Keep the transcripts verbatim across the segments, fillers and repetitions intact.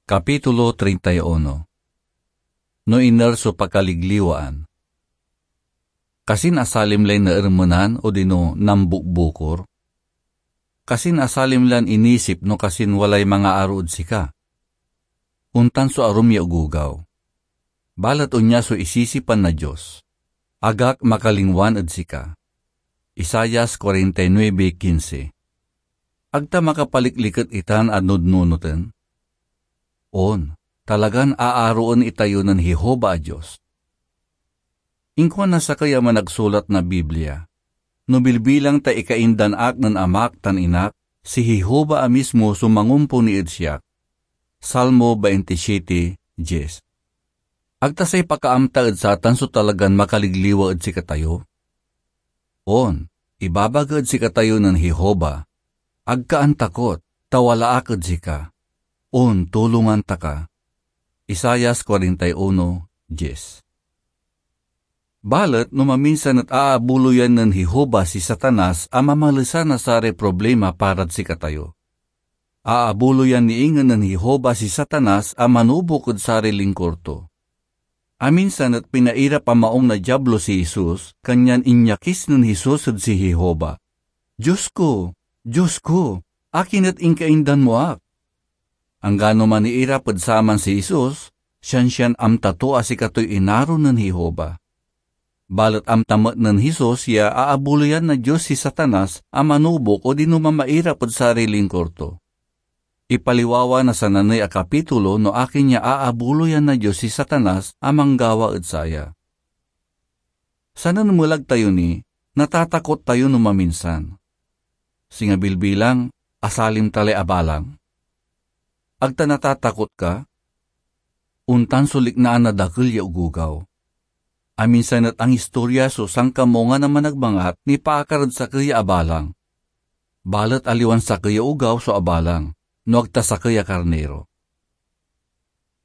Kapitulo treinta y uno. No iner so pakaligliwaan. Kasin asalim lay naermenan odino nambukbukor? Kasin asalim lan inisip no kasin walay mangaaro ed sika? Ontan so arum ya ogogaw. Balet onya so isisipan na Dios, "Agak makalingwan ed sika." Isaias forty-nine quince. Ag ta makapalikliket itan a nudnunoten? On, talagan aaroen itayo nen Jehovah a Dios. Inkuan na sakey a managsulat na Biblia, "No bilbilang ta ikaindan ak nen amak tan inak, si Jehovah a mismo so mangomponi ed siak." Salmo twenty-seven diez. Ag ta say pakaamta ed satan so talagan makaligliwa ed sikatayo? On, ibabaga ed sikatayo nen Jehovah, "Ag ka antakot, ta wala ak ed sika. On, tulongan ta ka." Isaias forty-one diez. Balet no maminsan et aabuloyan nen Jehovah si Satanas a mamalisan na saray problema parad sikatayo. Aabuloyan ni ingen nen Jehovah si Satanas a manubok ed saray lingkor to. Aminsan et pinairap a maong na Diablo si Jesus, kanyan inyakis nen Jesus ed si Jehovah, "Dios ko, Dios ko, akin et inkaindan mo ak?" Anggano maniirap ed saman si Jesus, siansian amta to a sikatoy inaro nen Jehovah. Balet amta met nen Jesus ya aabuloyan na Dios si Satanas a manubok odino mamairap ed saray lingkor to. Ipaliwawa na sananey a kapitulo no akin ya aabuloyan na Dios si Satanas a manggawa ed saya. Sanen melag tayo ni, natatakot tayo no maminsan. Singa bilbilang, asalim ta lay abalang. Ag ta natatakot ka? Ontan so liknaan na dakel ya ogogaw. Aminsan et angistorya so sankamungan a managmangat nipaakar ed sakey ya abalang. Balet aliwan sakey ya ogaw so abalang, no ag ta sakey a karniro.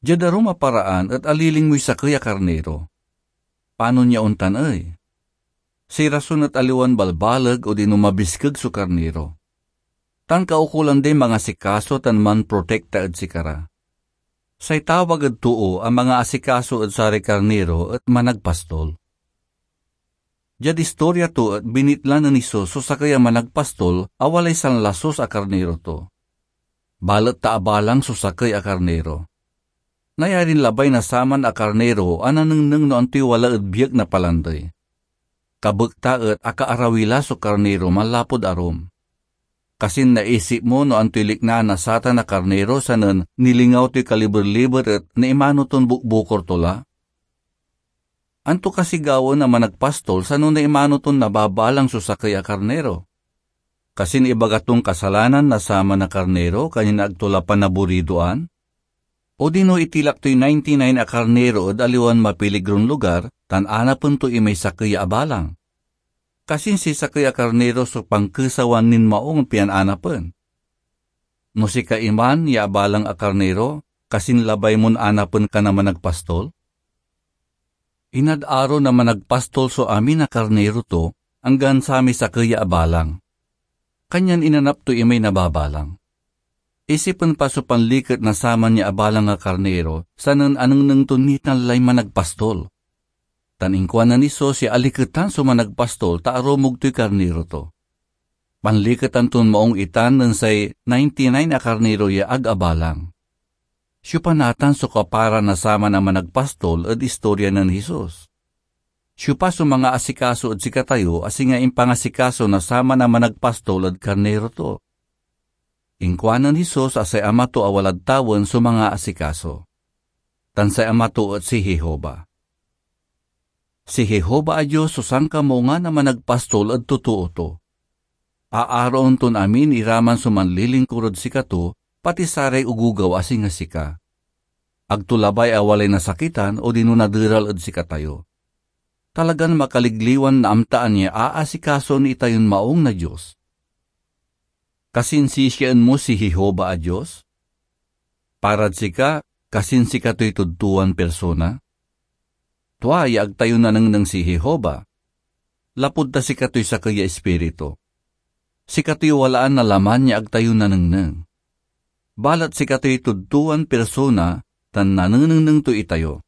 Diad arum a paraan et alilingmoy sakey a karniro. Panon ya ontan ey? Say rason et aliwan balbaleg odino mabiskeg so karniro, tan kaukolan day mangasikaso tan manprotekta ed sikara. Say tawag ed too a mangaasikaso ed saray karniro et managpastol. Diad istorya to et binitla nen Jesus so sakey a managpastol a walay sanlasus a karniro to. Balet ta abalang so sakey a karniro. Nayarin labay na saman a karniro a nanengneng no antoy wala ed biek na palandey. Kabekta et akaarawi la so karniro manlapud arum. Kasin naisip mo no antoy liknaan na satan a karniro sanen nilingaw toy kaliber-liber et naimano ton bukbukor to la? Anto kasi gawaen na managpastol sano naimano ton nababalang so sakey a karniro? Kasin ibaga ton kasalanan na saman a karniro kanyan ag to la panaburidoan? Odino itilak toy ninety-nine a karniro ed aliwan mapiligron lugar tan anapen to imay sakey a abalang? Kasin say sakey a karniro so pankesawan nin maong pian anapen? No sika iman ya abalang a karniro, kasin labay mon anapen ka na managpastol? Inad-aro na managpastol so amin a karniro to, anggan samay sakey ya abalang. Kanyan inanap to imay nababalang. Isipen pa so panliket na saman ya abalang a karniro, sanen anengneng to nitan lay managpastol. Tan inkuan nen Jesus ya aliketan so managpastol ta arumog toy karniro to. Panliketan ton maong itan nen say ninety-nine a karniro ya ag abalang. Siopa natan so kapara na saman a managpastol ed istorya nen Jesus? Siopa so mangaasikaso ed sikatayo a singa impangasikaso na saman a managpastol ed karniro to? Inkuanen Jesus a say Ama to a walad tawen so mangaasikaso, tan say Ama to et si Jehovah. Si Jehovah a Dios so sankamungan a managpastol ed totoo to. Aaroen ton amin iraman so manlilingkur ed sikato, pati saray ogogaw a singa sika. Ag to labay a walay nasakitan odino naderal ed sikatayo. Talagan makaligliwan naamtaan ya aasikasoen itayon maong na Dios. Kasinsisiaen mo si Jehovah a Dios? Parad sika, kasin sikatoy tudtuan persona? Tua ya ag tayo nanengneng si Jehovah, lapud ta sikatoy sakey ya Ispiritu. Sikatoy walaan na laman ya ag tayo nanengneng. balet sikatoy tudtuan pirsona tan nanenengneng to itayo.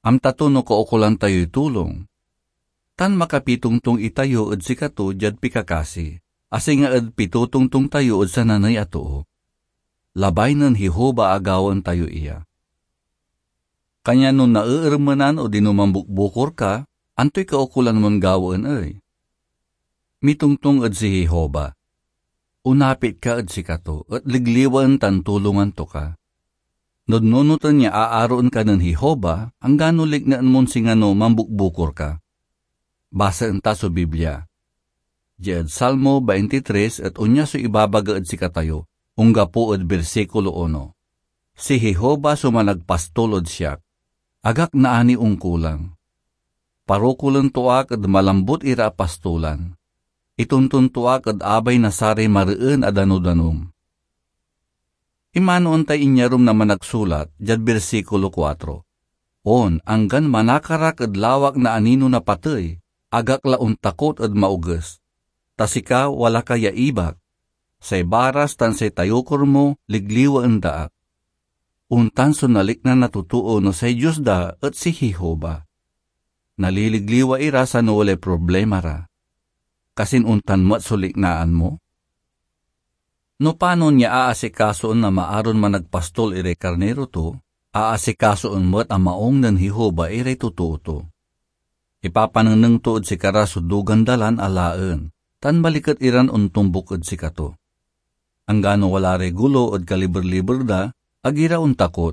Amta to no kaukolan tayoy tulong, tan makapitongtong itayo ed sikato diad pikakasi, a singa ed pitotongtong tayo ed sananey a too. Labay nen Jehovah a gawaen tayo iya. Kanyan no naeermenan odino mambukbukor ka, antoy kaukolan mon gawaen ey? Mitongtong ed si Jehovah. Onapit ka ed sikato, et ligliwaen tan tulongan to ka. Nodnonoten ya aaroen ka nen Jehovah, anggano liknaen mon singano mambukbukor ka. Basaen ta so Biblia. Diad Salmo twenty-three et onya so ibabaga ed sikatayo, onggapo ed bersikulo uno, "Si Jehovah so managpastol ed siak, agak naani onkulang. Parokulen to ak ed malambut ira a pastolan. Itonton to ak ed abay na saray mareen a danum-danum." Imanoen tay inyarum na managsulat diad bersikulo kuatro, "On, anggan manakar ak ed lawak na anino na patey, agak la ontakot ed maoges, ta sika wala ka ya ibak. Say baras tan say tayokor mo ligliwaen da ak." Ontan so nalikna na totoo no say Dios da et si Jehovah. Naliligliwa ira sano walay problema ra. Kasin ontan met so liknaan mo? No panon ya aasikasoen na maaron managpastol iray karniro to, aasikasoen met a maung nen Jehovah iray totoo to. Ipapanengneng to ed sikara so dugan da lan alaen, tan maliket iran ontombuk ed sikato. Anggano wala ray golo ed kaliber-liber da, ag ira ontakot.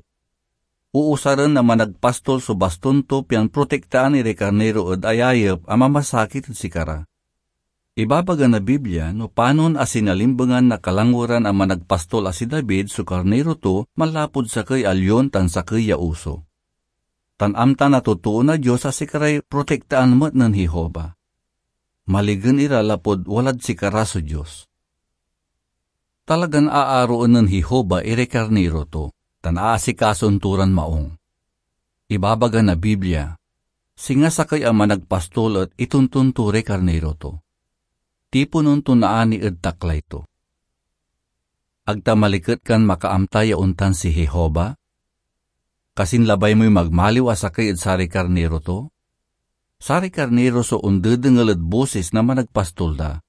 Uusaren na managpastol so baston to pian protektaan iray karniro ed ayayep a mamasakit ed sikara. Ibabaga na Biblia no panon a sinalimbengan na kalangweran a managpastol a si David so karniro to manlapud sakey a lion tan sakey ya oso. Tan amta na totoo na Dios a sikaray protektaan met nen Jehovah. Maligen ira lapud walad sikara so Dios. Talagan aaroen nen Jehovah iray karniro to, tan aasikasoen to ran maung. Ibabaga na Biblia, singa sakey a managpastol et itonton to ray karniro to. Tiponen to naani ed taklay to. Ag ta maliket kan makaamta ya ontan si Jehovah? Kasin labay moy magmaliw a sakey ed saray karniro to? Saray karniro so ondedengel ed bosis na managpastol da.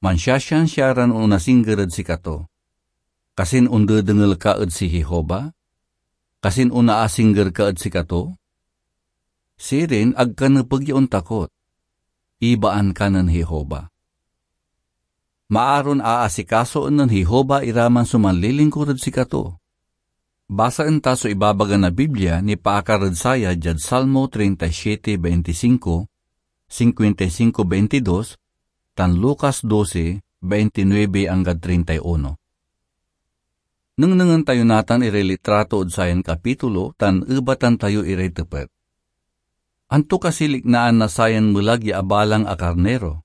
Mansiasiansia ran onasingger ed sikato. Kasin ondedengel ka ed si Jehovah? Kasin onaasingger ka ed sikato? Sirin, ag ka nepeg ya ontakot. Ibaan ka nen Jehovah. Maaron aasikasoen nen Jehovah iraman so manlilingkur ed sikato. Basaen ta so ibabaga na Biblia nipaakar ed saya diad Salmo treinta y siete veinticinco, cincuenta y cinco veintidós, tan Lucas doce, veintinueve anggad treinta y uno. Nengnengen tayo natan iray litrato ed sayan kapitulo tan ebatan tayo iray tepet. Anto kasi liknaan na sayan melag ya abalang a karnero?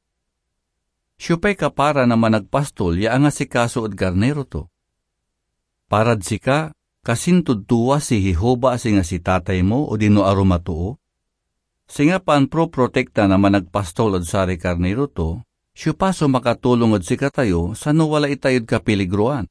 Siopay kapara na managpastol ya angasikaso ed karnero to? Parad sika, kasintod tua si Jehovah a singa si tatay mo odino arum a too? Singa pamproprotekta na managpastol ed saray karnero to, siopa so makatulong ed sikatayo sano wala itayod kapiligroan?